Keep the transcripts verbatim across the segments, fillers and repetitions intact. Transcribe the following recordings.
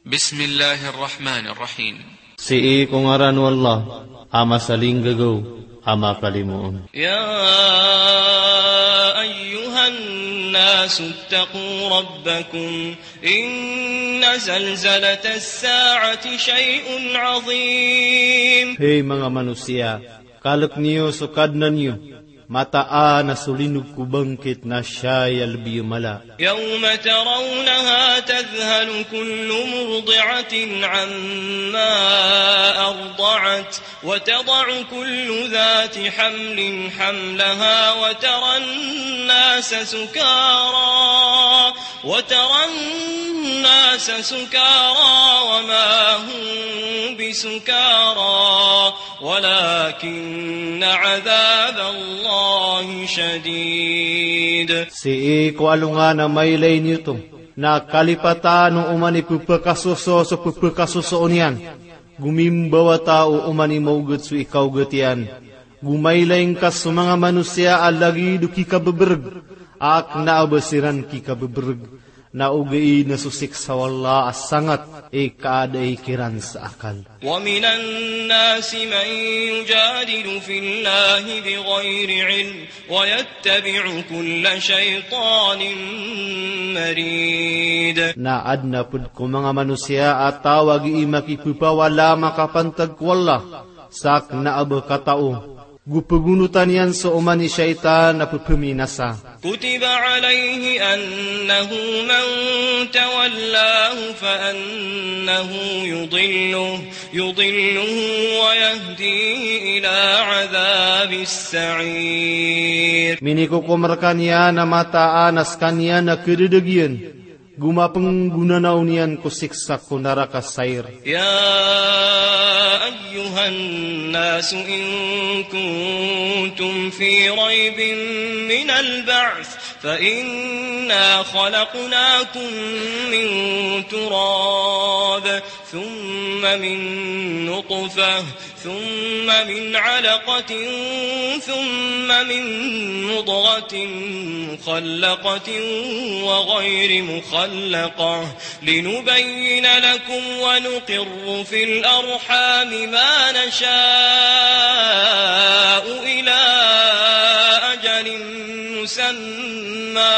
Bismillahir Rahmanir Rahim. Sii ko ngaran o Allah, a masalinggagaw, a makalimoon. يا أيها الناس اتقوا ربكم إن زلزلة الساعة شيء عظيم. Hay manga manosiya, kalk niyo so Kadnan iyo, mataan a so linog ko bangkit na siyay a lbi a mala. يوم ترونها تذهل كل مرضعة عما أرضعت وتضع كل ذات حمل حملها وترى الناس سكارى، وترى الناس سكارى وما هم بسكارى ولكن عذاب الله شديد. Sii ko alongan a mailay niyo oto, na kalipatan o oman i pphakasoso so pphakasosoon iyan, go mimbawata o oman i maogat so ikaogat iyan, go mailay ngka so manga manosiya a lagid o kikabebereg, a kna a ba siran kikabebereg, na ogaid na so siksa o Allah a sangat i kaadai kiran sa akal. ومن الناس من يجادل في الله بغير علم ويتبع كل شيطان مريد. Na adn a pd ko manga manosiya a taw a gii makipphawala a makapantag ko Allah sa kna a ba katao, go pgonotan iyan so oman i shaytan a pphaminasa. كتب عليه أنه من تولاه فأنه يضله، يضله ويهديه إلى عذاب السعير. Minikokom rkaniyan a mataan a skaniyan a kdadagiyan, go mapnggonanaw niyan ko siksa ko naraka Sair. يا أيها الناس إن كنتم في ريب من البعث فإنا خلقناكم من تراب ثم من نطفة ثم من علقة ثم من مضغة مخلقة وغير مخلقة لنبين لكم ونقر في الأرحام ما نشاء إلى أجل مسمى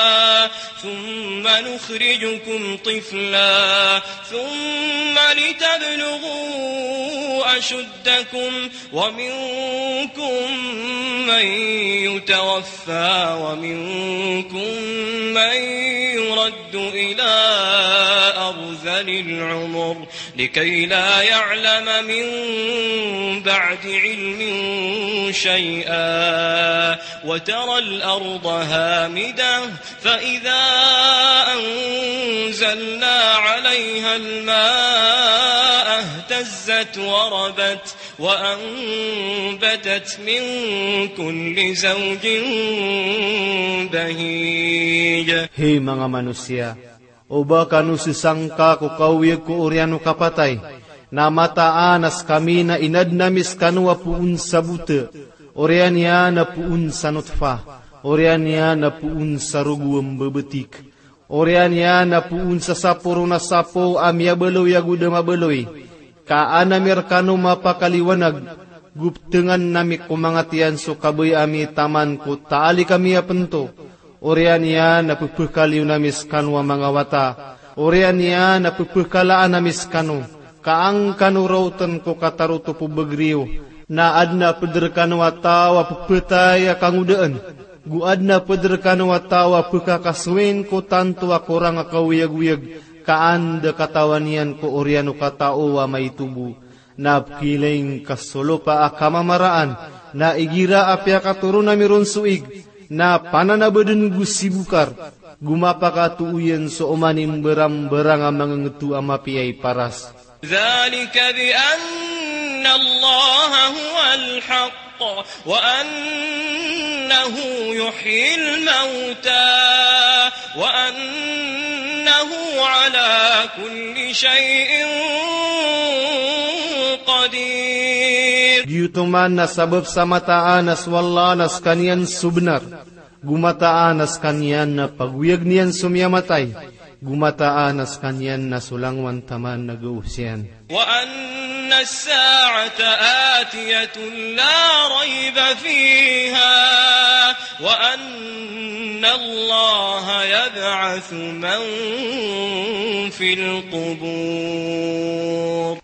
ثم نخرجكم طفلا ثم لتبلغوا أشدكم ومنكم من يتوفى ومنكم من يرد إلى أرذل العمر لكي لا يعلم من بعد علم شيئا وترى الأرض هامدة فإذا أنزلنا عليها الماء اهتزت وربت وأنبتت من كل زوج بهيج. Hay manga manosiya, o ba kano sisangka ko kaoyag ko oriyan o kapatay, na mataan a skami na inadn ami skano a poon sa bota, oriyan iyan a poon sa notfa, oriyan iyan a poon sa rogo a mbabatik, oriyan iyan a poon sa sapo ron a sapo a miyabaloy ago da mabaloy, ka an ami rkano mapakaliwanag, go ptngan ami ko manga tiyan so kabaya ami taman ko taalik ami a pnto, oriyan iyan a pphakaliyon ami skano a manga wata, oriyan iyan a pphakalaan ami skano, ka an kano raotn ko katarotop o bagr iyo, na adn a pd rkano a taw a pphatay a kangodaan, go adn a pd rkano a taw a pkhakasowin ko tanto a korang a kaoyagoyag, ka an da katawan iyan ko oriyan o katao a maito bo. Na pkhailay ngka so lopa a kamamaraan, na igira a piyakatoron ami ron so ig, na pananabadn go sibokar, go mapakatooyan so oman i mbarambarang a mangngto a mapiya i paras. ذلك بأن الله هو الحق وأنه يحيي الموتى وأنه على كل شيء قدير. Giyoto man na sabap sa mataan a so Allah na skaniyan so bnar, go mataan a skaniyan na pagoyagn iyan so miyamatay, Go mataan a skaniyan na so langowan taman na gawos iyan. وأن الساعة آتية لا ريب فيها وأن الله يبعث من في القبور.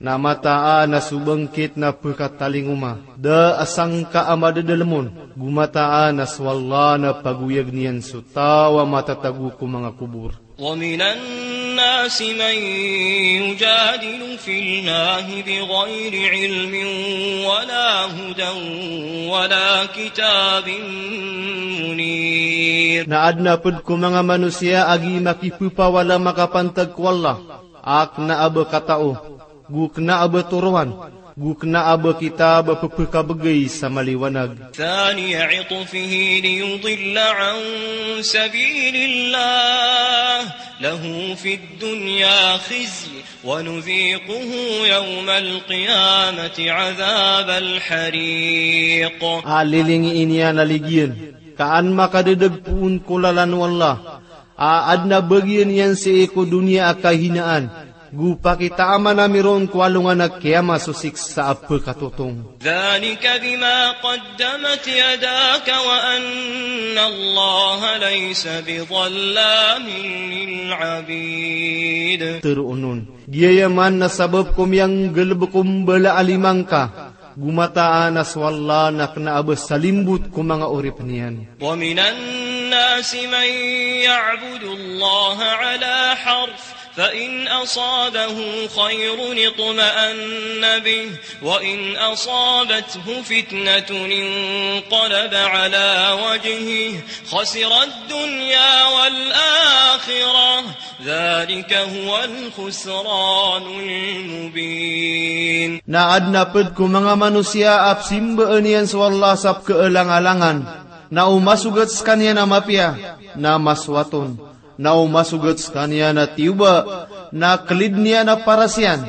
Na mataan a so bangkit na pkatalingoma, da a sangka a madadalm on, go mataan a so Allah na pagoyagn iyan so taw a matatago ko manga kobor. ومن الناس من يجادل في الله بغير علم ولا هدى ولا كتاب منير. Na adn a pd ko manga manosiya a gii makipphawala makapantag ko Allah, a kna a ba katao, go kna a ba toroan, go kna a ba kitab a pphakabgay sa maliwanag. ثاني عطفه ليضل عن سبيل الله له في الدنيا خزي ونذيقه يوم القيامة عذاب الحريق. A lilingii niyan a ligiyan, ka an makadadagpoon ko lalan o Allah, a adn a bagian iyan sii ko doniya a kahinaan, go pakitaaman ami ron ko alongan a kiyama so siksa a pkatotong. ذلك بما قدمت يداك وأن الله ليس بظلام للعبيد. Tharoon on, giyaya man na sabap ko miyanggalbk o mbala a lima ngka, go mataan a so Allah na kna a ba salimbot ko manga oripn iyan. ومن الناس من يعبد الله على حرف فإن أصابه خير اطمأن به وإن أصابته فتنة انقلب على وجهه خسر الدنيا والآخرة ذلك هو الخسران المبين. Na adn a pd ko manga manosiya a pzimbaan iyan so Allah sa pkaalangalangan, na o masogat skaniyan a mapiya, na masowat on, na o masogat skaniyan a tiyoba, na klidn iyan a paras iyan,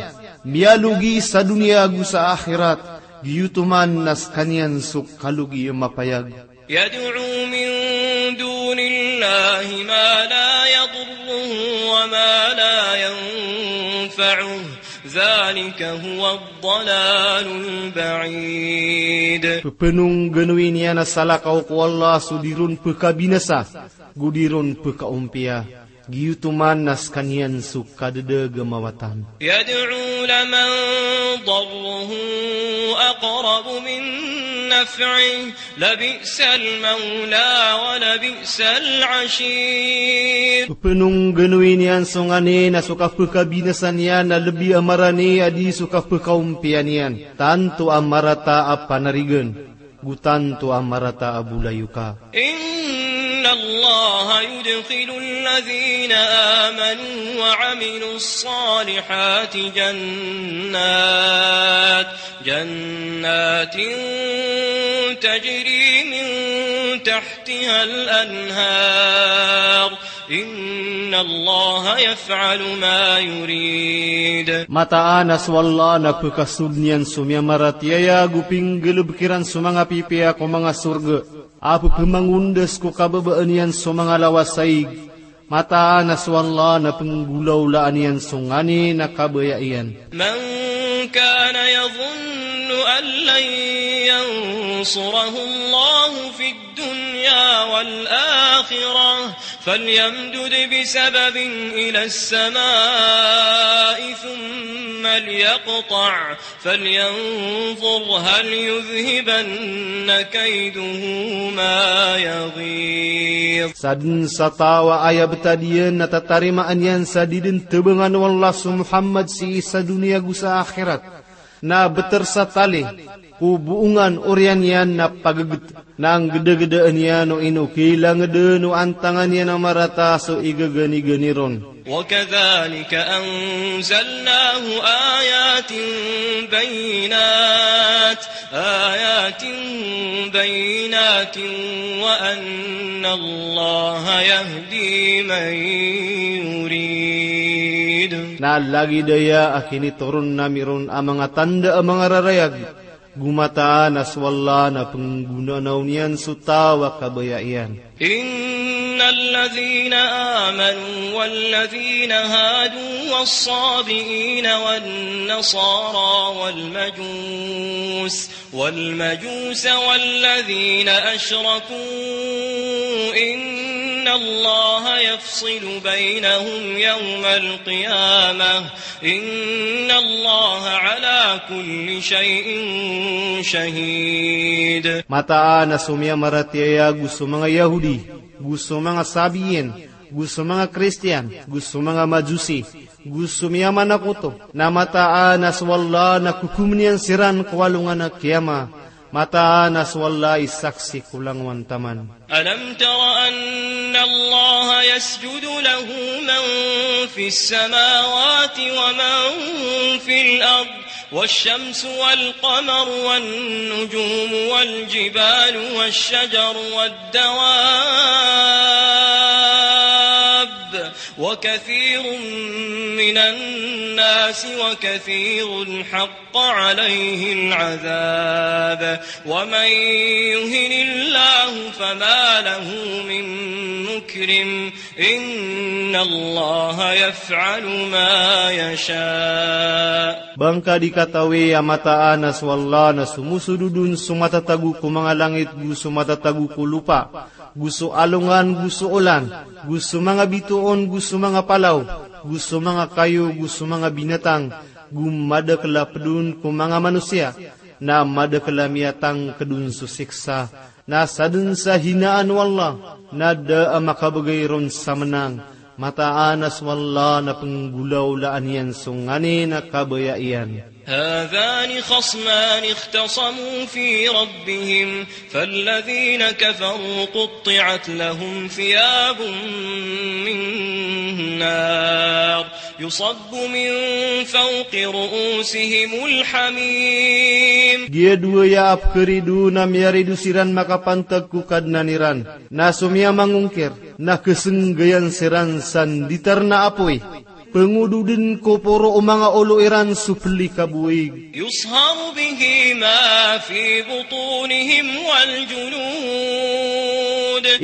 miyalogi sa doniya go sa akhirat, giyoto man na skaniyan so kalogi a mapayag. يدعو من دون الله ما لا يضره وما لا ينفعه ذلك هو الضلال البعيد. Pphangnggalbkn iyan a salakaw ko Allah so di ron pkabinasa, go di ron pkaompiya. Giyoto man na skaniyan so kadadagamawa tan. يدعو لمن ضره أقرب من نفعه لبئس المولى ولبئس العشير. Pphangnggalbkn iyan so nganin a so kapkabinasa niyan na lbi a marani a di so kapkaompiya niyan. Tanto a marata a panarigan. Go tanto a marata a bolayoka. إن الله يدخل الذين آمنوا وعملوا الصالحات جنات، جنات تجري من تحتها الأنهار إن الله يفعل ما يريد. Mataan a so Allah na pkasold iyan so miyamaratiyaya go pinggalbk iran so manga pipiya ko manga sorga a pphmangondas ko kababaan iyan so manga lawasaig. Mataan a so Allah na pnggolawlaan iyan so nganin a kabaya iyan. من كان يظن أن لن ينصره الله في الدنيا والآخرة فليمدد بسبب إلى السماء ثم ليقطع فلينظر هل يذهبن كيده ما يغيظ. Sadn sa taw a aya btad iyan na tatarimaan iyan sa di dn tbangan o Allah so Muhammad sii sa doniya go sa akhirat. Na btr sa tali ko boongan oriyan iyan na paggt, na nggdagdaan iyan o ino kilangdn o antangan iyan a marata so igaganigani ron. وكذلك أنزلناه آيات بينات، آيات بينات وأن الله يهدي من يريد. Na lagid aya a kinitoron ami ron a manga tanda a manga rarayag, go mataan a so Allah na pnggonanaw niyan so taw a kabaya iyan. إن الذين آمنوا والذين هادوا والصابئين والنصارى والمجوس، والمجوس والذين أشركوا إن الله يفصل بينهم يوم القيامة إن الله على كل شيء شهيد. Mataan a so miyamaratiyaya go so manga Yahudi, go so manga Sabiyin, go so manga Kristiyan, go so manga Majusi, go so miyamanakoto, na mataan a so Allah na kokomn iyan siran ko alongan a kiyama. Mataan a so Allah i saksi ko langowan taman. ألم تر أن الله يسجد له من في السماوات ومن في الأرض والشمس والقمر والنجوم والجبال والشجر والدواب وكثير من الناس وكثير حق عليه العذاب ومن يهن الله فما له من مكرم إن الله يفعل ما يشاء. Ba ngka di katawi a mataan a so Allah na somosodod on so matatago ko manga langit go so matatago ko lopa, go so alongan go so olan, go so manga bitoon go so manga palaw, go so manga kayo go so manga binatang, go madakl a pd on ko manga manosiya, na madakl a miyatangkd on so siksa, na sadn sa hinaan o Allah na da a makabgay ron sa mnang. Mataan a so Allah na pnggolawlaan iyan so nganin a kabaya iyan. هذان خصمان اختصموا في ربهم فالذين كفروا قطعت لهم ثياب من نار يصب من فوق رؤوسهم الحميم. Giya dowa aya a pkharido na miyarido siran makapantag ko Kadnan iran, na so miyamangongkir na khasnggayan siran sa nditar na apoy, pngododn ko poro o manga olo iran so plikabowig. يصهر به ما في بطونهم والجلود.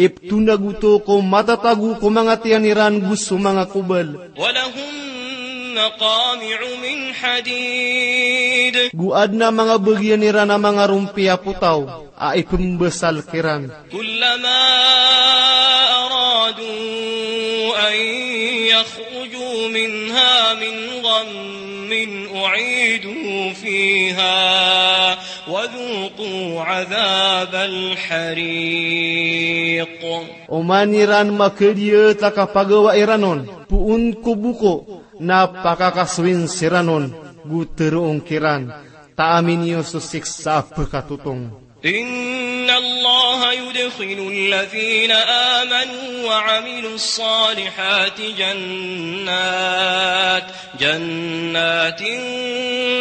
Iptonag oto ko matatago ko manga tiyan iran go so manga kobal. ولهم مقامع من حديد. Go adn a manga bagian iran a manga rompi a potaw a ipmbasal kiran. كلما أرادوا أن يخرجوا منها من غم أعيدوا فيها وذوقوا عذاب الحريق. Oman iran makadiyat a kapagawa iran on, poon ko boko, na pakakasoyin siran on, go tharoon kiran, taamin iyo so siksa a pkatotong. إن الله يدخل الذين آمنوا وعملوا الصالحات جنات، جنات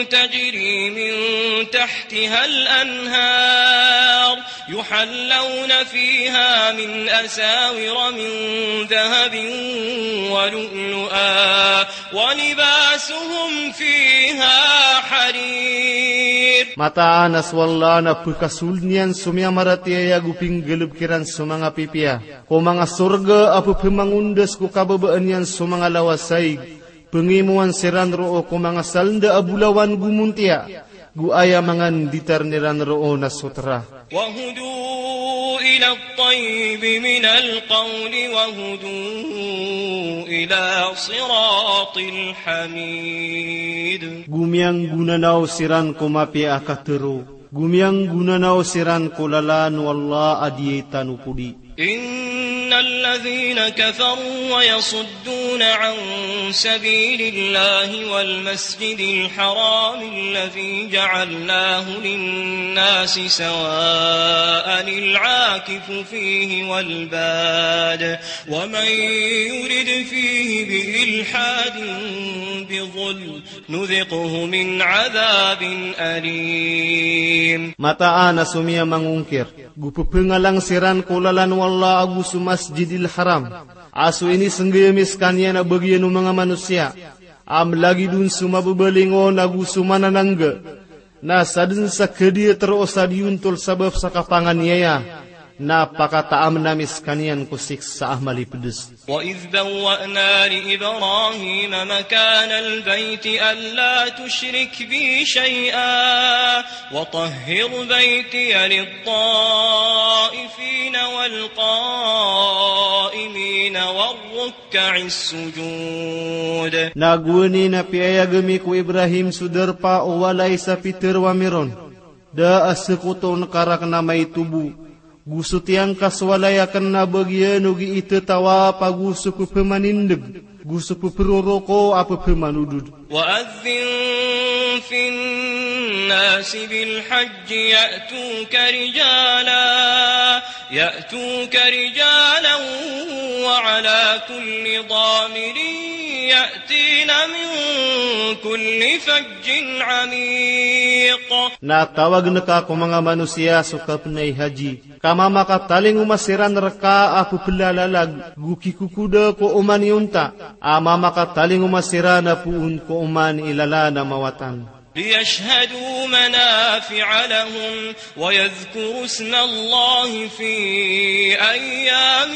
تجري من تحتها الأنهار، يحلون فيها من أساور من ذهب ولؤلؤا، ولباسهم فيها حرير. Mataan a so Allah na pkasold iyan so miyamaratiyaya go pinggalbk iran so manga pipiya ko manga sorga a pphamangondas ko kababaan iyan so manga lawasaig. Pngimowan siran roo ko manga salnda a bolawan go montiya, go aya manga nditar iran roo na sotra. وهدوا إلى الطيب من القول وهدوا إلى صراط الحميد. Go miyanggonanaw siran ko mapiya a katharo, go miyanggonanaw siran ko lalan o Allah a diyai tano podi. إن الذين كفروا ويصدون عن سبيل الله والمسجد الحرام الذي جعلناه للناس سواء العاكف فيه والباد ومن يرد فيه بإلحاد بظلم نذقه من عذاب أليم. Mataan a so miyamangongkir go pphangalang siran ko lalan o Allah ago so Masjidil Haram a so inisnggay ami skaniyan a bagian o manga manosiya, a mlagid on so mababalingon ago so mananangga, na sadn sa kadiyat roo sa diyontol sabap sa kapanganiyaya, Na pakataamn ami skaniyan ko siksa a malipds. وإذ بوأنا لإبراهيم مكان البيت ألا تشرك بي شيئا وطهر بيتي للطائفين والقائمين والركع السجود. Na gowani na piyayag ami ko Ibrahim so darpa o walay sa pitharo ami ron, da a sktona ka rakn a maito bo, go so tiyangka so walay akn na bagiyan o gii tatawa pa go so pphamanindg, go so ppharoroko a pphamanodod. وأذن في الناس بالحج يأتوك رجالا، يأتوك رجالا وعلى كل ضامر يأتين من كل فج عميق. Na tawagn ka ko manga manosiya so kapnay haji, ka mamakatalingoma siran rka a pplalalag, go kikokoda ko oman i onta, a mamakatalingoma siran a poon ko oman i lalan a mawatan. ليشهدوا منافع لهم ويذكروا اسم الله في أيام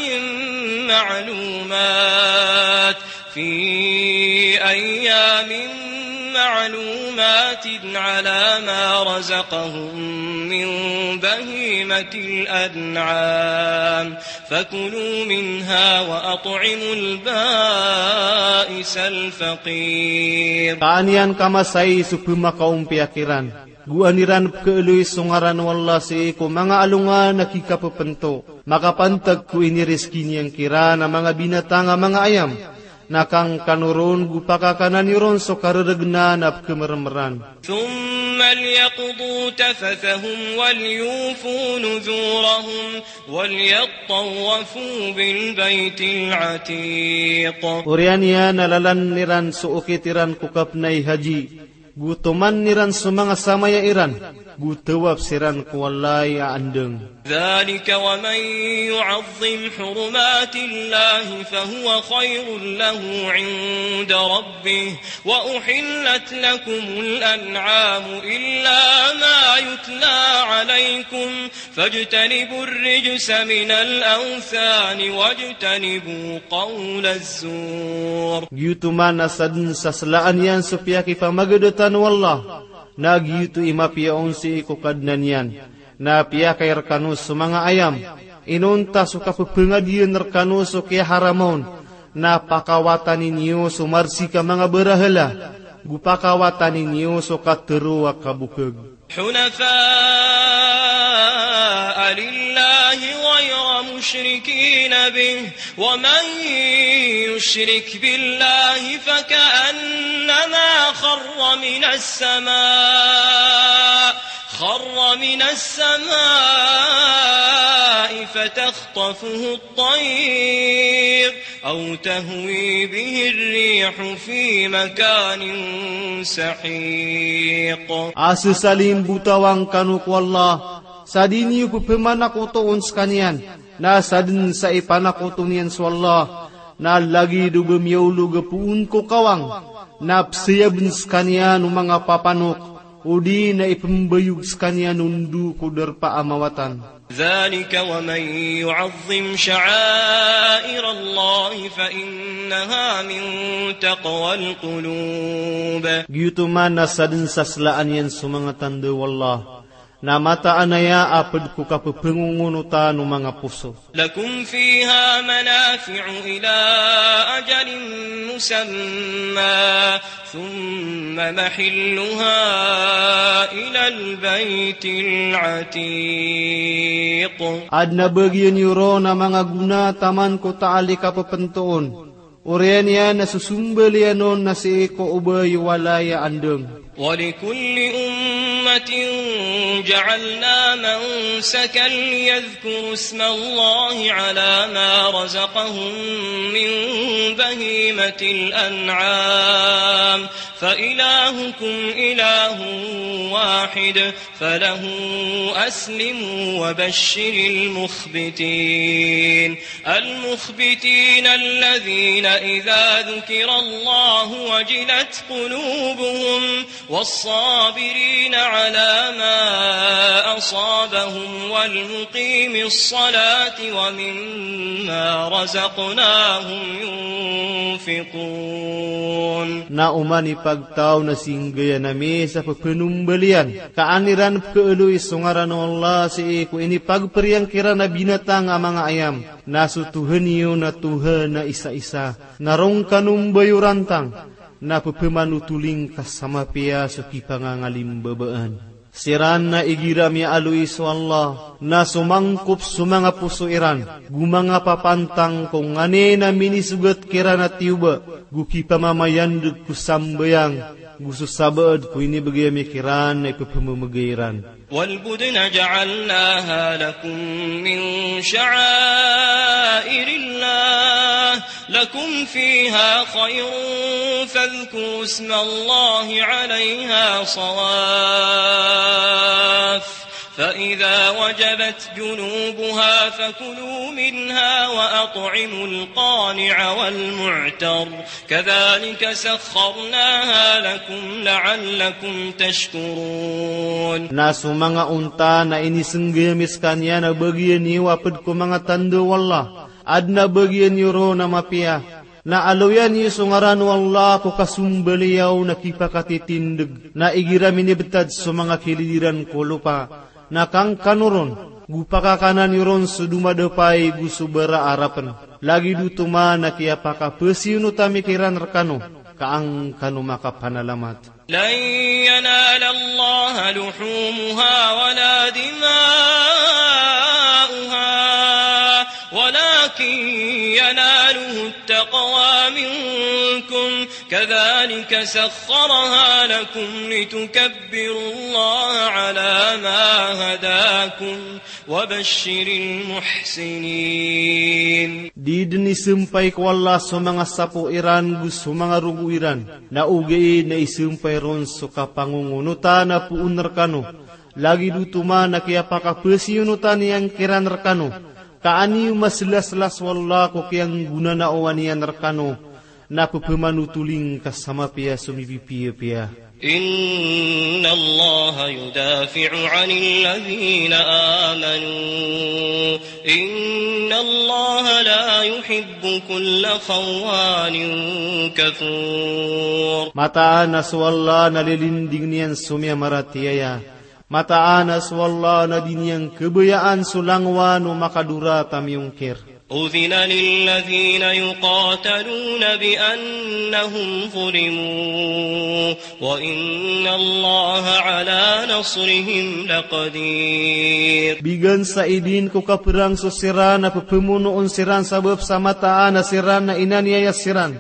معلومات، في أيام معلومات على ما رزقهم من بهيمة الأنعام فكلوا منها وأطعموا البائس الفقير. Ka an iyan kamasai so pmakaompiya kiran, go an iran pkhaaloy so ngaran o Allah sii ko manga alongan a kikapphanto, makapantag ko iniriski niyan kiran a manga binatang a manga ayam, na kangkano ron go pakakana niyo ron so karergnan a pkhamermeran. ثم ليقضوا تفثهم وليوفوا نذورهم وليطوفوا بالبيت العتيق. Oriyan iyan a lalan iran so okit iran ko kapnay haji, go toman iran so manga samaya iran, go tawaf siran ko walay a andang. ذلك ومن يعظم حرمات الله فهو خير له عند ربه وأحلت لكم الأنعام إلا ما يتلى عليكم فاجتنبوا الرجس من الأوثان واجتنبوا قول الزور. Giyoto man a sadn sa slaan iyan so piyakipamagadatan o Allah, na giyoto i mapiya on sii ko Kadnan iyan. Na piyakay rkano so manga ayam, inonta so kapphangadiyaan rkano so kiyaharam on, na pakawatani niyo so marsik a manga barahala, go pakawatani niyo so katharo a kabokag. حنفاء لله غير مشركين به ومن يشرك بالله فكأنما خر من السماء، خر من السماء فتخطفه الطير أو تهوي به الريح في مكان سحيق. A sesalimbotawang kano ko Allah, sa di niyo pphmanakotoon skaniyan, na sadn sa ipanakoto niyan so Allah, na lagid o ba miyaolog a poon ko kawang, na psayabn skaniyan o manga papanok, odi na ipmbayog skaniyan o ndo ko darpa a mawatan. ذلك ومن يعظم شعائر الله فإنها من تقوى القلوب. Giyoto man a sadn sa slaan iyan so manga tanda o Allah, na mataan aya a pd ko kapphangongoonotan o manga poso. لكم فيها منافع إلى أجل مسمى ثم محلها إلى البيت العتيق. Adn a bagiyan iyo ron a manga gona taman ko taal i kapphantoon, oriyan iyan a so sombal iyan on na sii ko obay o walay a andang. ولكل أمة جعلنا منسكا ليذكروا اسم الله على ما رزقهم من بهيمة الأنعام فإلهكم إله واحد فله أسلموا وبشر المخبتين. المخبتين الذين إذا ذكر الله وجلت قلوبهم والصابرين على ما أصابهم والمقيم الصلاة ومما رزقناهم ينفقون. Na oman i pagtaw na singgay ami sa pephenombaliyan, ka an iran pkhaaloy so ngaran o Allah sii ko inipagperiyang kiran a binatang a manga ayam. Na so Tohan iyo na Tohan a isa-isa. Na roo ngka no mbayorantang, na pephamanotoling ka sa mapiya so kipangangalimbabaan. Siran na igira miyaaloy so Allah, na somangkop so manga poso iran, go manga papantang ko nganin a minisogat kiran a tiyoba, go kipamamayandeg ko sambayang, go so sabaad ko inibegay ami kiran na ipephamemegay iran. والبدن جعلناها لكم من شعائر الله لكم فيها خير فاذكروا اسم الله عليها صواف فإذا وجبت جنوبها فكلوا منها وأطعموا القانع والمعتر كذلك سخرناها لكم لعلكم تشكرون. Na so manga onta na inisenggay ami sekaniyan a bagian iyo a ped ko manga tanda o Allah, aden a bagian iyo ron a mapiya. Na aloyan iyo so ngaran o Allah ko kasombaliyaw na kipakatitindeg, na igira minibetad so manga kilid iran ko lopa, na kangkano ron, go pakakanan iyo ron so domadapay go so bara a rapen. Lagid oto man a kiyapakapesiyonotan ami kiran rekano, ka an kano makapanalamat. لن ينال الله لحومها ولا دماؤها ولكن يناله التقوى منكم كذلك سخرها لكم لتكبروا الله على ما هداكم وبشر المحسنين. Di den isempay ko Allah so manga sapo iran go so manga rogo iran, na ogaid na isempay ron so kapangongonotan a poon rekano. Lagid oto man a kiyapakapesiyonotan iyan kiran rekano, ka an iyo maselasela so Allah ko kiyanggonanaowan iyan rekano, na pephamanotoling ka sa mapiya so mipipiyapiya. إن الله يدافع عن الذين آمنوا إن الله لا يحب كل خوان كفور. Mataan a so Allah na lilindingen iyan so miyamaratiyaya. Mataan a so Allah na di niyan kebayaan so langowan o makadorata miyongkir. أذن للذين يقاتلون بأنهم ظلموا وإن الله على نصرهم لقدير. Bigan sa idin ko kaperang so siran a pepemonoon siran sabap sa mataan a siran na inaniyaya siran.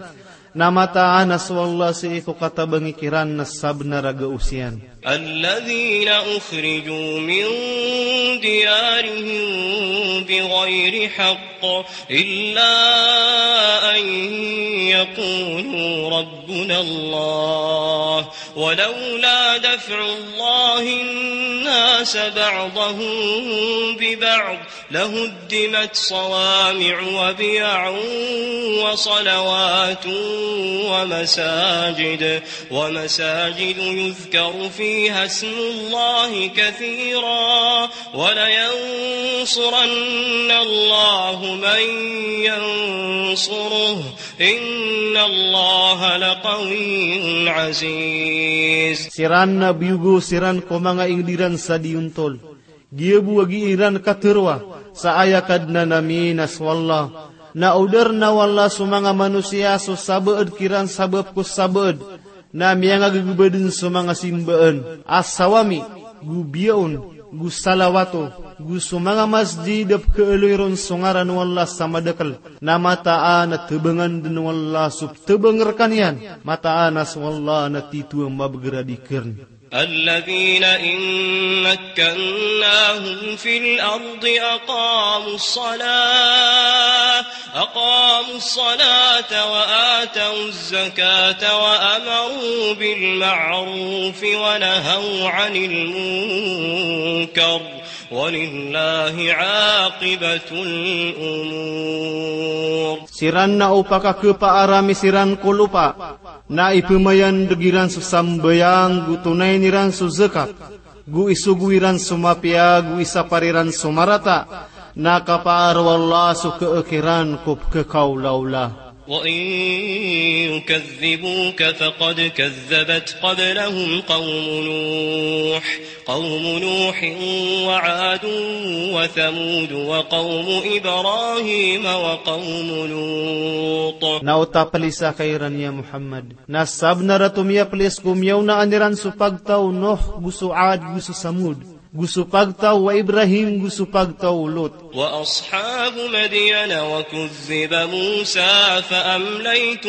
Na mataan a so Allah sii ko katabangi kiran na sabenar a gaos iyan. الذين أخرجوا من ديارهم بغير حق إلا أن يقولوا ربنا الله ولولا دفع الله الناس بعضهم ببعض لهدمت صوامع وبيع وصلوات ومساجد، ومساجد يذكر فيها اسم الله كثيرا، ولينصرن الله من ينصره، إن الله لقوي عزيز. Siran na biyogo siran ko manga inged iran sa diyontol. Giya bo a gii ran kateroa sa aya Kadnan ami na so Allah. Na odarna o Allah so manga manosiya so sabaad kiran sabap ko sabaad. Na miyangagagebaden so manga simbaan a sawami, go biyaon, go salawato, go so manga masjid a pekaaloy ron so ngaran o Allah sa madakel. Na mataan a tebangan den o Allah so ptebang rekaniyan. Mataan a so Allah na tito a mabeger a di kern. الذين إن مكناهم في الأرض أقاموا الصلاة، أقاموا الصلاة وآتوا الزكاة وأمروا بالمعروف ونهوا عن المنكر، ولله عاقبة الأمور. Siran na o pakakepaarami siran ko lopa Na ipmayandg iran so sambayang, go tonayn iran so zakat, go isogo iran so mapiya, go isapar iran so marata, na kapaar o Allah so khakiran ko pkhakaolaola. وإن يكذبوك فقد كذبت قبلهم قوم نوح، قوم نوح وعاد وثمود وقوم إبراهيم وقوم لوط. Na o taplisa ka iran ya Muhammad, na sabnar a tomiyaplis ko miyaonaan iran so pagtaw o Nuh, go so Ad, go so Samud, go so pagtaw o Ibrahim, go so pagtaw o Lut. وأصحاب مدين وكذب موسى فأمليت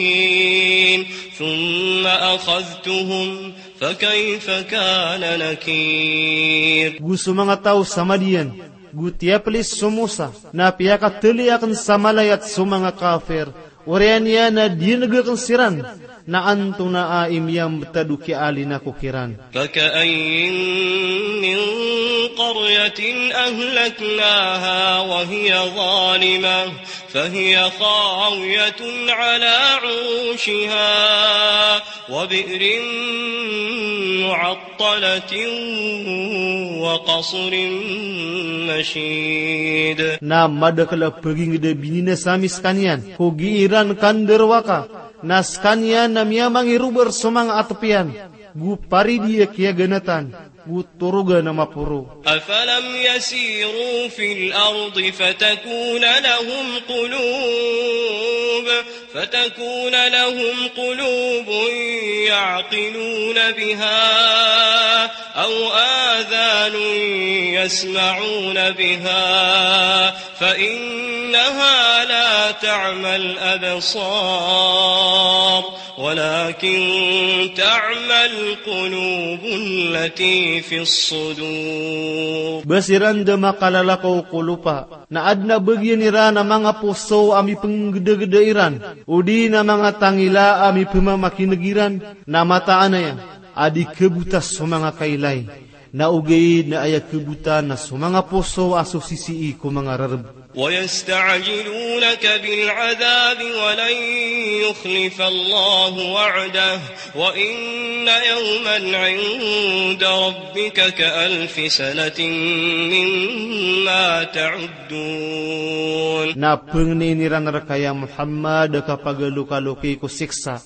للكافرين ثم أخذتهم فكيف كان نكير. Go so manga taw sa Madian, go tiyaplis so Musa, na piyakatali akn sa malayat so manga kafir, oriyan iyan a diyangg akn siran, na antonaa i miyambtad o kiyaalinan ko kiran. فكأين من قرية أهلكناها وهي ظالمة فهي خاوية على عروشها وبئر معطلة وقصر مشيد. Na madakl a pagingd a bininasa ami skaniyan ko gii ran kandarowaka, na skaniyan na miyamangirobar so manga atp iyan, go paridi a kiyaganatan, go torogan a maporo. أفلم يسيروا في الأرض فتكون لهم قلوب، فتكون لهم قلوب يعقلون بها أو آذان يسمعون بها فإنها لا تعمى الأبصار ولكن تعمى القلوب التي في الصدور. Ba siran da makalala ko kolopa, na adn a bagian iran a manga poso a mipnggdagda iran, odi na manga tangila a mipmamakin'g iran, na mataan aya a di khabota so manga kailay, na ogaid na aya khabota na so manga poso a so sisii ko manga rarb. ويستعجلونك بالعذاب ولن يخلف الله وعده وإن يوما عند ربك كألف سنة مما تعدون. Na pngnin iran rka ya Muhammad a kapagalokaloki ko siksa,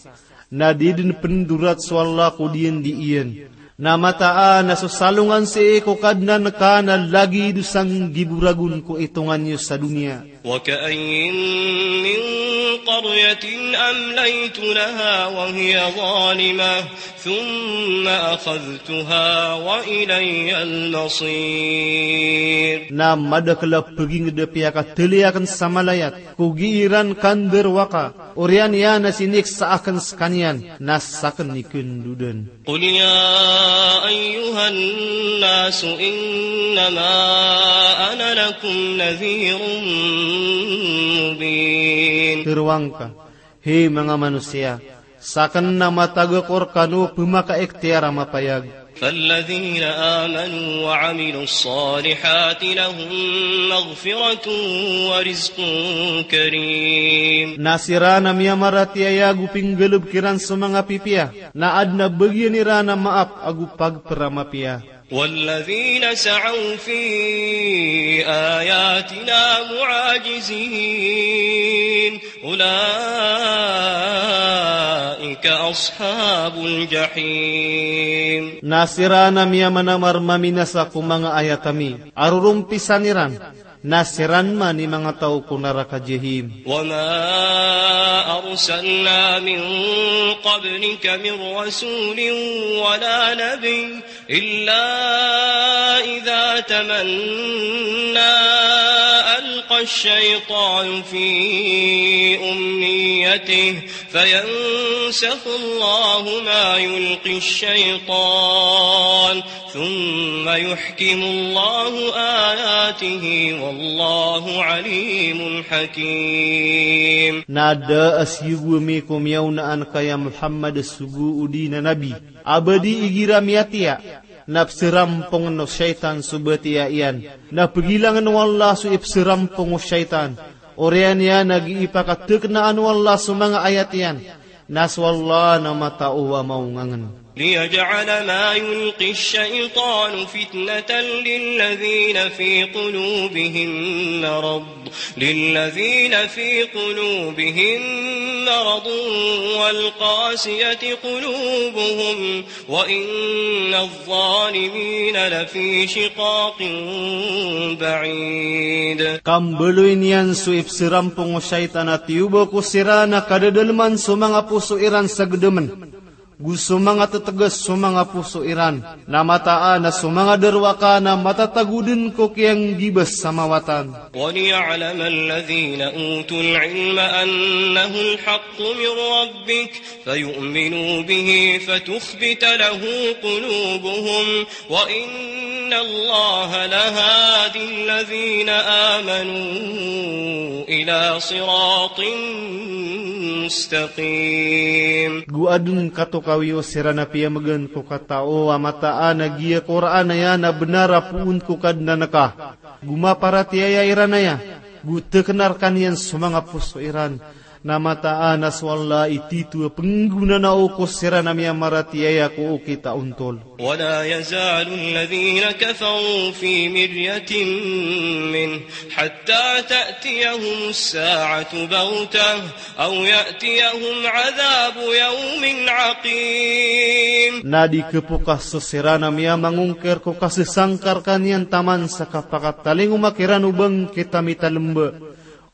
na di dn pndorat so Allah ko diyandi iyan. Na mataan a so salongan sii ko Kadnan ka na lagid o sanggibo ragon ko itongan iyo sa doniya. وكأين من قرية أمليت لها وهي ظالمة ثم أخذتها وإلي المصير. Na madakl a pagingd a piyakatali akn sa malayat ko gii ran kandarowaka, oriyan iyan a siniksa akn skaniyan, na sakn i khandodan. قل يا أيها الناس إنما أنا لكم نذير مبين. Tharoang ka, hay manga manosiya, sakn na matag ako rkano a pmakaikhtiyar a mapayag. فالذين آمنوا وعملوا الصالحات لهم مغفرة ورزق كريم. Na siran a miyamaratiyaya ago pinggalbk iran so manga pipiya, na adn a bagian iran a maap ago pagpr a mapiya. والذين سعوا في آياتنا معاجزين أولئك أصحاب الجحيم. Na siran a miyamanamar maminasa ko manga ayat ami a rorompisan iran, na siran man i manga taw ko naraka Jahim. وما أرسلنا من قبلك من رسول ولا نبي إلا إذا تمنى ألقى الشيطان في أمنيته فينسخ الله ما يلقي الشيطان ثم يحكم الله آياته والله عليم حكيم. Na da a siyogo ami ko miyaonaan ka ya Muhammad a sogo odi na nabi a ba di igira miyatiya, na psarampongn o shaytan so batiya iyan, na pgilangn o Allah so ipsarampong o shaytan, Oriyan iyan a gii pakateknaan o Allah so manga ayat iyan, na so Allah na matao a maongangen. ليجعل ما يلقي الشيطان فتنة للذين في قلوبهم مرض، للذين في قلوبهم مرض والقاسية قلوبهم وإن الظالمين لفي شقاق بعيد. Ka mbaloy niyan so ipserampong o shaytan a tiyoba ko siran a kadadaleman so manga poso iran sa gedemen, go so manga teteges so manga poso iran, na mataan a so manga derwaka na matatago den ko kiyanggiba sa mawatan. وليعلم الذين أوتوا العلم أنه الحق من ربك فيؤمنوا به فتخبت له قلوبهم وإن الله لهادي الذين آمنوا إلى صراط مستقيم. Go aden katokawi o siran a piyamegen ko katao a mataan a giya Qur'an aya na benar a poon ko Kadnan ka. Go maparatiyaya iran aya, go tekena rekaniyan so manga poso iran. Na mataan a so Allah i tito a penggonanao ko siran a miyamaratiyaya ko okit a ontol. ولا يزال الذين كفروا في مرية منه حتى تأتيهم الساعة بغتة أو يأتيهم عذاب يوم عقيم. Na di kepokas so siran a miyamangongker ko kasesangka rekaniyan taman sa kapakatalingoma kiran o bangkit a mitalemba.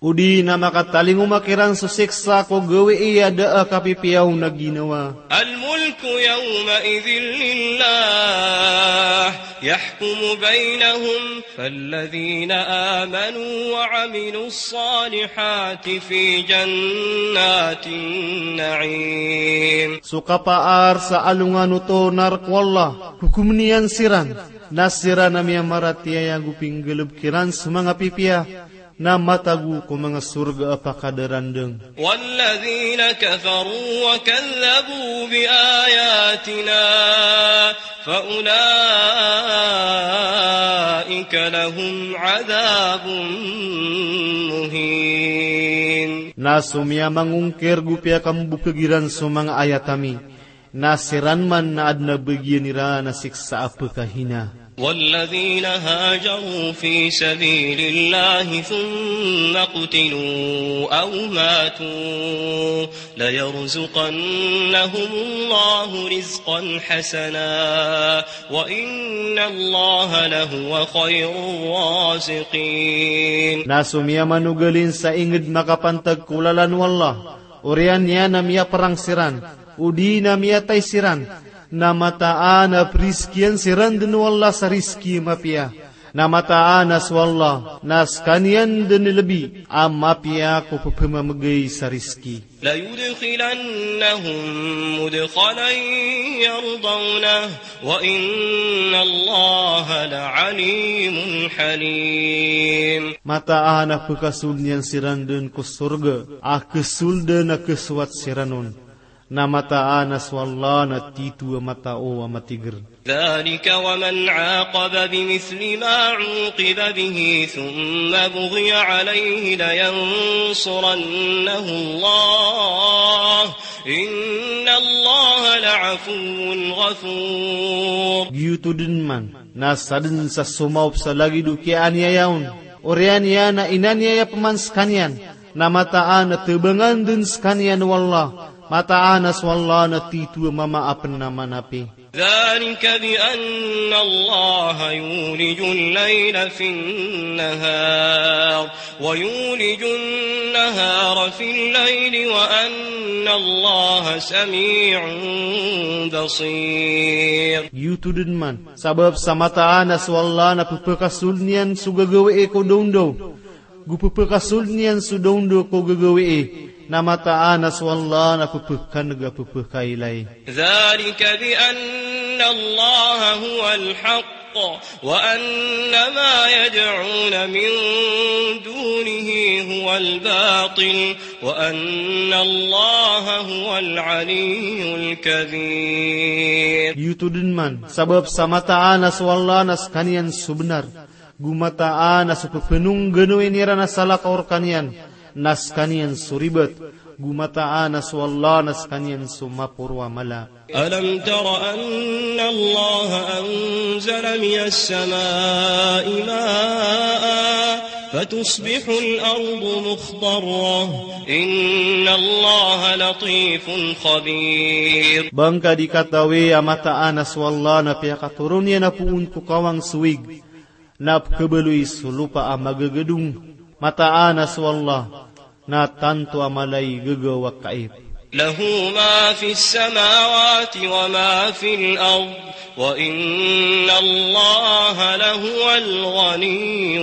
O di na makatalingoma kiran so siksa ko gawii a da a kapipiya on a ginawa. الملك يومئذ لله يحكم بينهم فالذين آمنوا وعملوا الصالحات في جنات النعيم. So kapaar sa alongan oto na rek o Allah, hokomen iyan siran, na siran a miyamaratiyaya go pinggalebek iran so manga pipiya, na matago ko manga sorga a pakadarandeng. والذين كفروا وكذبوا بآياتنا فأولئك لهم عذاب مهين. Na so miyamangongker go piyakambokeg iran so manga ayat ami, na siran man na aden a bagian iran a siksa a pekahina. والذين هاجروا في سبيل الله ثم قتلوا أو ماتوا ليرزقنهم الله رزقا حسنا وإن الله لهو خير الرازقين. Na so miyamanogalin sa inged makapantag ko lalan o Allah, oriyan iyan a miyaperang siran, o di na miyatay siran, na mataan a perizkian siran den o Allah sa rizki a mapiya. Na mataan a so Allah na sekaniyan den i lebi a mapiya ko pepemamegay sa rizki. ليدخلنهم مدخلا يرضونه وإن الله لعليم حليم. Mataan a pekasold iyan siran den ko sorga a kesolden a kesowat siran on. Na mataan a so Allah na tito a matao a matiger. ذلك ومن عاقب بمثل ما عوقب به ثم بغي عليه لينصرنه الله إن الله لعفو غفور. Giyoto den man na saden sa somaop sa lagid o kiyaaniyaya on, oriyan iyan a inaniyaya peman sekaniyan, na mataan a tebangan den sekaniyan o Allah, mataan a so Allah na tito a mama a penamanapi. ذلك بأن الله يولج الليل في النهار ويولج النهار في الليل وأن الله سميع بصير. Giyoto den man, sabap sa mataan a so Allah na pepekasold iyan so gagawii ko dawndaw, go pepekasold iyan so dawndaw ko gagawii, na mataan a so Allah na pepekaneg a pepekailay. ذلك بأن الله هو الحق وأن ما يدعون من دونه هو الباطل وأن الله هو العلي الكبير. Giyoto den man, sabap sa mataan a so Allah na sekaniyan so benar, go mataan a so pepenongganoin iran a salakaw rekaniyan, Na skaniyan so ribat, go mataan a so Allah na skaniyan so maporo a mala. ألم تر أن الله أنزل من السماء ماء فتصبح الأرض مخضرة إن الله لطيف خبير. Ba ngka di katawi a mataan a so Allah na piyakatoron iyan a poon ko kawang so ig, na pkhabaloy so lopa a magagadong. Mataan a so Allah na tanto a mala i gagaw a kaip. له ما في السماوات وما في الأرض وإن الله لهو الغني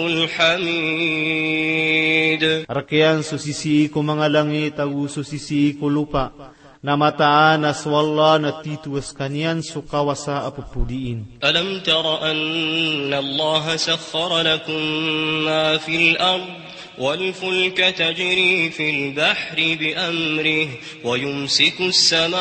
الحميد. Rk iyan so sisii ko manga langit ago so sisii ko lopa, na mataan a so Allah na tito a skaniyan so kawasa a ppodiin. ألم تر أن الله سخر لكم ما في الأرض والفلك تجري في البحر بأمره ويمسك السماء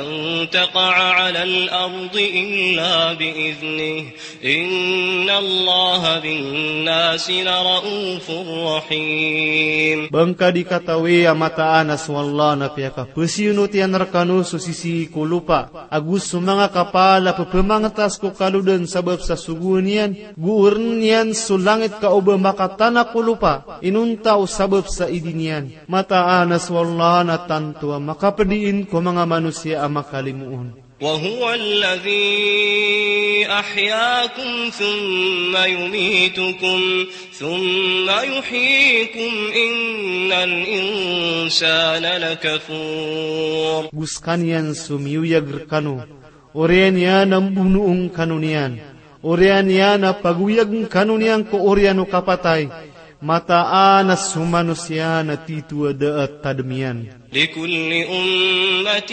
أن تقع على الأرض إلا بإذنه إن الله بالناس لرءوف رحيم. Ba ngka di katawi a mataan a so Allah na piyakapasiyonot iyan rkano so sisii ko lopa ago so manga kapal a pphamangtas ko kalodan sabap sa sogoan iyan, go orn iyan so langit ka o ba makatana ko lopa inonta o sabap sa idin iyan. Mataan a so Allah na tanto a makapdiin ko manga manosiya a makalimo on. وهو الذي أحياكم ثم يميتكم ثم يحييكم إن الإنسان لكفور. Go skaniyan so miyoyag rkano, oriyan iyan a mbonoon kano niyan, oriyan iyan a pagoyagn kano niyan ko oriyan o kapatay. Mataan a so manosiya na tito a da a tadm iyan. لكل أمة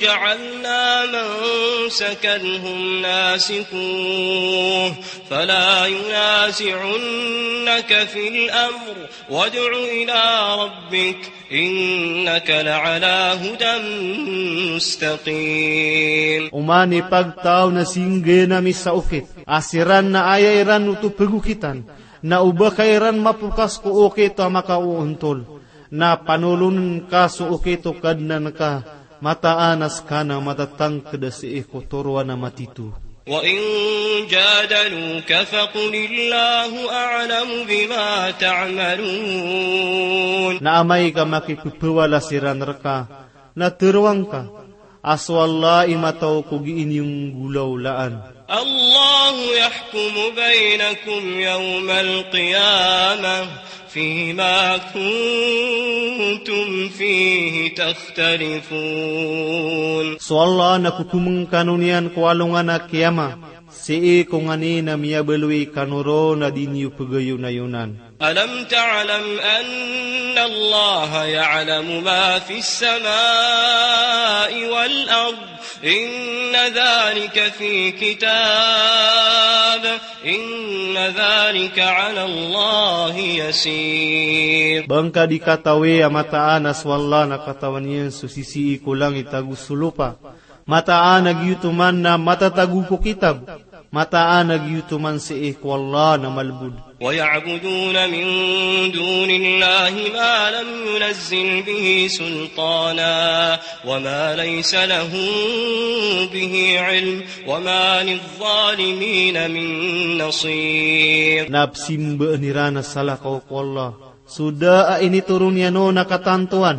جعلنا منسكا هم ناسكوه فلا ينازعنك في الأمر وادع إلى ربك إنك لعلى هدى مستقيم. Oman i pagtaw na singgn ami sa okit a siran na aya iran oto pagokitan, na o ba ka iran mapokas ko okit a makaoontol, na panolon ka so okit o Kadnan ka, mataan a ska na matatangkd a sii ko toroan a matito. وإن جادلوك فقل الله أعلم بما تعملون. Na amay ka makippawala siran rka, na tharoang ka a so Allah i mataw ko gii niyo nggolawlaan. الله يحكم بينكم يوم القيامة فيما كنتم فيه تختلفون. So Allah na kokomn kano niyan ko alongan a kiyama, sii ko nganin a miyabaloy kano ron a di niyo pgayonayonan. ألم تعلم أن الله يعلم ما في السماء والأرض إن ذلك في كتاب إن ذلك على الله يسير. Ba ngka di katawi a mataan a so Allah na katawan iyan so sisii ko langit ago so lopa. Mataan a giyoto man na matatago ko kitab. Mataan a giyoto man sii ko Allah na malbod. ويعبدون من دون الله ما لم ينزل به سلطانا وما ليس لهم به علم وما للظالمين من نصير. Na psimbaan iran a salakaw ko Allah so da a initoron iyan on a katantoan,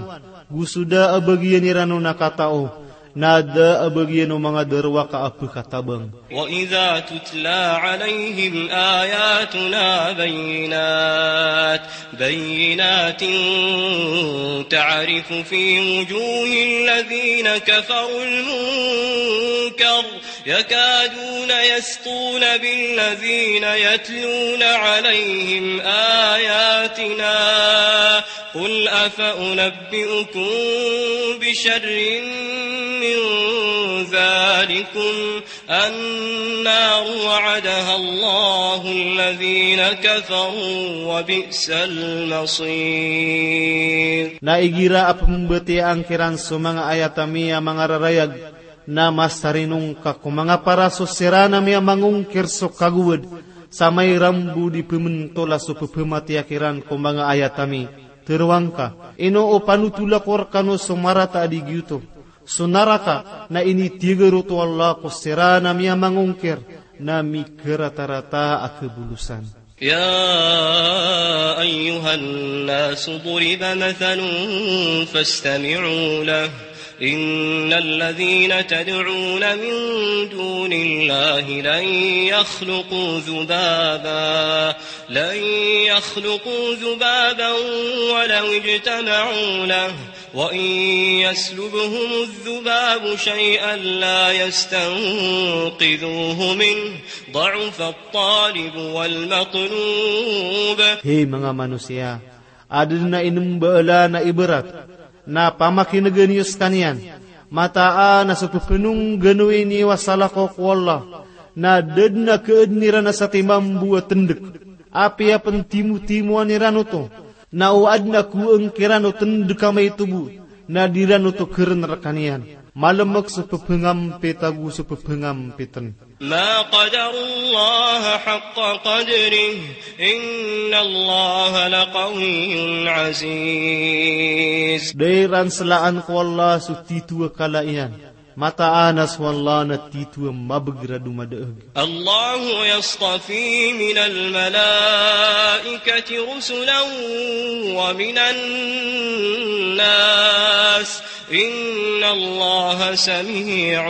go so da a bagian iran on a katao, na da a bagian o manga darowaka a pkatabang. وإذا تتلى عليهم آياتنا بينات بينات تعرف في وجوه الذين كفروا المنكر يكادون يسطون بالذين يتلون عليهم آياتنا قل أفأنبئكم بشر من ذلكم النار وعدها الله الذين كفروا وبئس المصير. Na igira a pmbatiyaa ngka iran so manga ayat ami a manga rarayag, na masarinong ka ko manga paraso siran ami a mangongkir so kagowad, Sa mairambo di pementola so pepematiya kiran ko manga ayat ami, teroang ka, ino o panotola ko rekano so marata a di giyoto, so naraka, na initiger oto o Allah ko siran a miyamangongkir, na mikeratarata a kebolosan. يا أيها الناس ضرب مثل فاستمعوا له. إن الذين تدعون من دون الله لن يخلقوا ذبابا، لن يخلقوا ذبابا ولو اجتمعوا له، وإن يسلبهم الذباب شيئا لا يستنقذوه منه، ضعف الطالب والمطلوب. Hay manga manosiya, aden a inembaala na ibarat, na pamakinegen iyo sekaniyan, mataan a so pepenongganowi niyo a salakaw ko Allah, na da den a keaden iran a satimambo a tendek, apiya pentimotimoan iran oto, na o aden a koeng kiran o tendek a maito bo, na di ran oto keren rekaniyan. Malemek so pepengampit ago so pepengampiten. ما قدروا الله حق قدره، إن الله لقوي عزيز. Da iran selaan ko Allah so tito a kala iyan, mataan a so Allah na tito a mabeger a domadaeg. الله يصطفي من الملائكة رسلا ومن الناس، إن الله سميع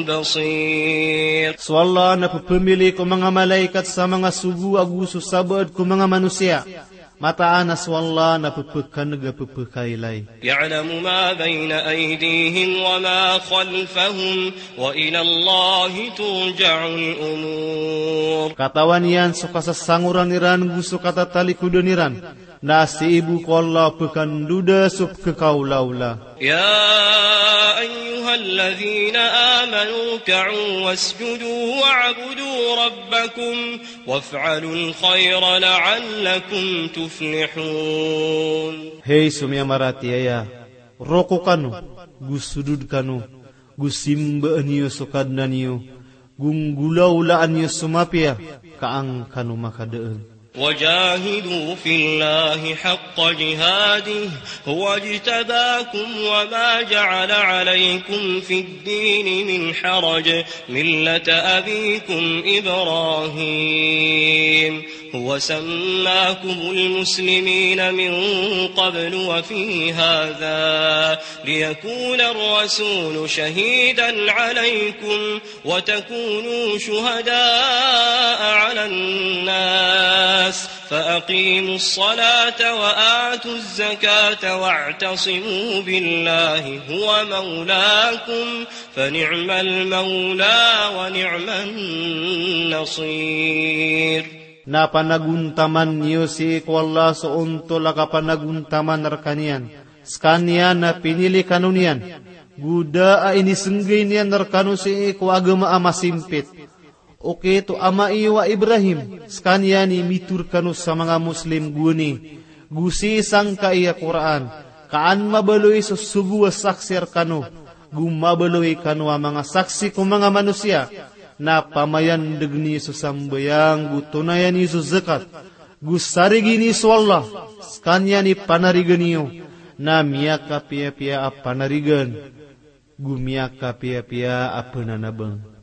بصير. So Allah na pepemili ko manga malaikat sa manga sogo ago so sabaad ko manga manosiya. Mataan a so Allah na pepekaneg a pepekailay. يعلم ما بين أيديهم وما خلفهم، وإلى الله ترجع الأمور. Katawan iyan so kasasangoran iran go so katatalikodan iran, na sii bo ko Allah pekandoda so pekekaolaola. يا أيها الذين آمنوا اركعوا واسجدوا واعبدوا ربكم وافعلوا الخير لعلكم تفلحون. Hay so miyamaratiyaya, roko kano, go sodod kano, go simbaan iyo so Kadnan iyo, go nggolaolaan iyo so mapiya, ka an kano makadaeg. وجاهدوا في الله حق جهاده هو اجتباكم وما جعل عليكم في الدين من حرج ملة أبيكم إبراهيم هو سماكم المسلمين من قبل وفي هذا ليكون الرسول شهيدا عليكم وتكونوا شهداء على الناس فأقيموا الصلاة وآتوا الزكاة واعتصموا بالله هو مولاكم فنعم المولى ونعم النصير. Na panagontaman iyo sii ko Allah so ontol a kapanagontaman rekaniyan, sekaniyan na pinili kano niyan, go da a inisenggay niyan rekano sii ko agama a masimpit. Okit o ama iyo a Ibrahim, sekaniyan i mitharo rekano sa manga Muslim gowani, go sii sangkai a Qur'an, ka an mabaloy so sogo a saksi rekano, go mabaloy kano a manga saksi ko manga manosiya, na pamayandegen iyo so sambayang, go tonayan iyo so zakat, go sarigi niyo so Allah, sekaniyan i panarigan iyo, na miyakapiyapiya a panarigan, go miyakapiyapiya a penanabang.